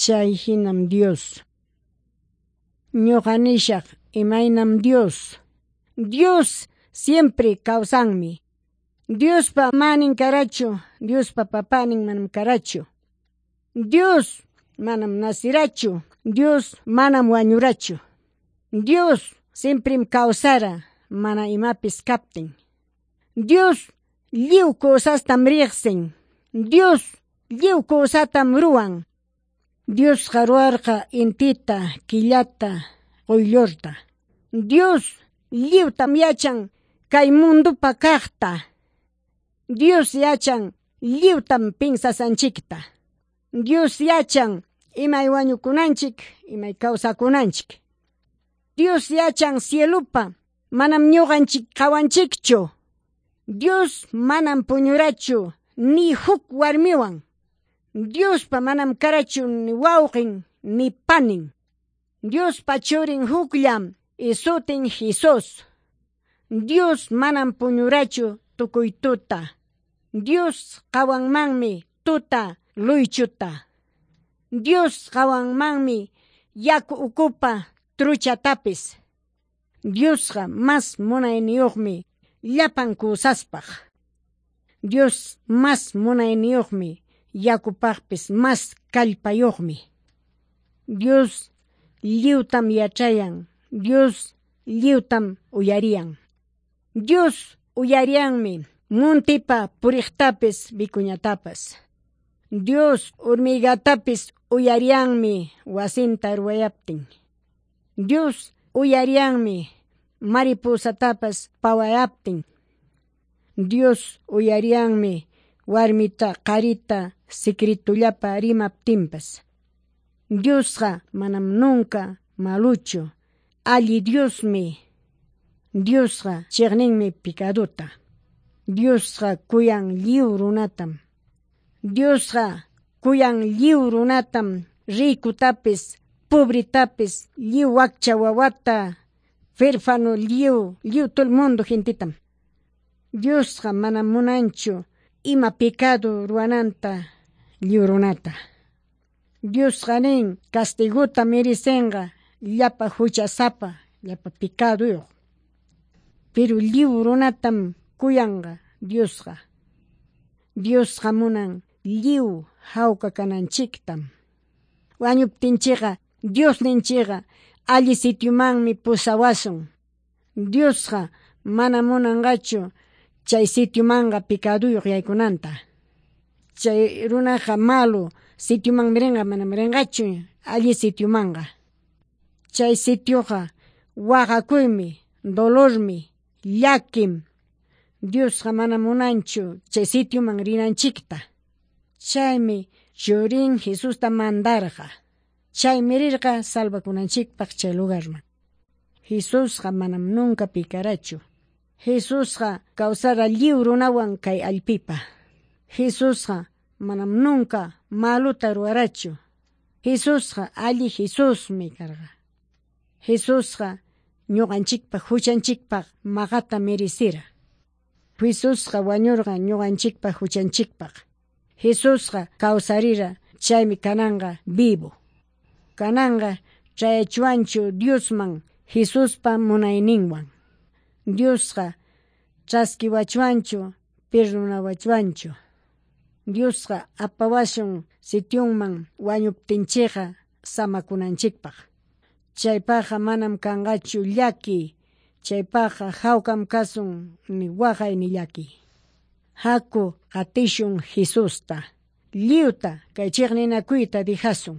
Chay hinam Dios. Ñuqa nishaq imaynam Dios. Dios siempre kawsanmi. Diospa manin karachu, Diospa papanin manam karachu. Dios manam nasirachu, Dios manam wañurachu. Dios siemprem kawsara mana imapis kaptin. Dios lliw cosastam riqsin. Dios lliw cosatam ruwan. Diosqa ruwarqa intita, killata, quyllurta. Dios lliwtam yachan kay mundupa kaqta. Dios yachan lliwtam pinsasanchikta. Dios yachan imay wañukunanchik, imay kawsakunanchik. Dios yachan cielupa, manam ñuqanchik qawanchikchu. Dios manam puñurachu ni huk warmiwan. Diospa manam karachu ni wawqin ni panin. Diospa churin hukllam y sutin Jesús. Dios manam puñurachu tukuy tuta. Dios qawanmanmi tuta luychuta. Dios qawanmanmi yaku ukupa truchatapis. Diosqa mas munayniyuqmi llapan kusaspaq. Dios mas munayniyuqmi yakupaqpis mas kallpayuqmi. Dios lliwtam yachayan. Dios lliwtam uyariyan. Dios uyariyanmi muntipa puriqtapis vicuñatapas. Dios hormigatapis uyariyanmi wasinta ruwayaptin. Dios uyariyanmi mariposatapas pawayaptin. Dios uyariyanmi warmita qarita secretullapa rimaptinpas. Diosqa manam nunca maluchu, alli Diosmi. Diosqa chiqninmi picaduta. Diosqa kuyan lliw runatam. Diosqa kuyan lliw runatam, ricutapis, pobretapis, lliw wakcha wawata, huérfano lliw, lliw todo el mundo gentetam. Diosqa manam munanchu ima pecado ruwananta lliw runata. Diosqa nin castiguta merecenqa llapa huchasapa, llapa pecaduyuq. Pero lliw runatam kuyanqa Diosqa. Diosqa munan lliw hawka kananchiktam. Wañuptinchikqa Diosninchikqa alli sitiomanmi pusawasun. Diosqa mana munanqachu chay sitiomanqa pecaduyuq yaykunanta. Chay runaqa malo sitiomanmi rinqa, manam rinqachu alli sitiomanqa. Chay sitioqa waqakuymi, dolormi, llakim. Diosqa mana munanchu chay sitioman rinanchikta. Chaymi churin Jesusta mandarqa. Chaymi rirqa salvakunanchikpaq chay lugarman. Jesusqa manam nunca picarachu. Jesusqa kawsara lliw runawan kay allpipa. Jesusqa manam nunca maluta ruwarachu. Jesusqa alli Jesusmi karqa. Jesusqa ñuqanchikpaq huchanchikpaq maqata merecira. Jesusqa wañurqa ñuqanchikpaq huchanchikpaq. Jesusqa kawsarira chaymi kananqa vivo. Kananqa chayachuanchu Diosman Jesuspa munayninwan. Diosqa chaskiwachuanchu perdonawachuanchu. Diosqa apawasun sitionman wañuptinchikqa samakunanchikpaq. Chaypaqqa manam kanqachu llaki, chaypaqqa hawkam kasun ni waqay ni llaki. Haku qatishun Jesusta. Lliwta kay chiqninakuyta dijasun.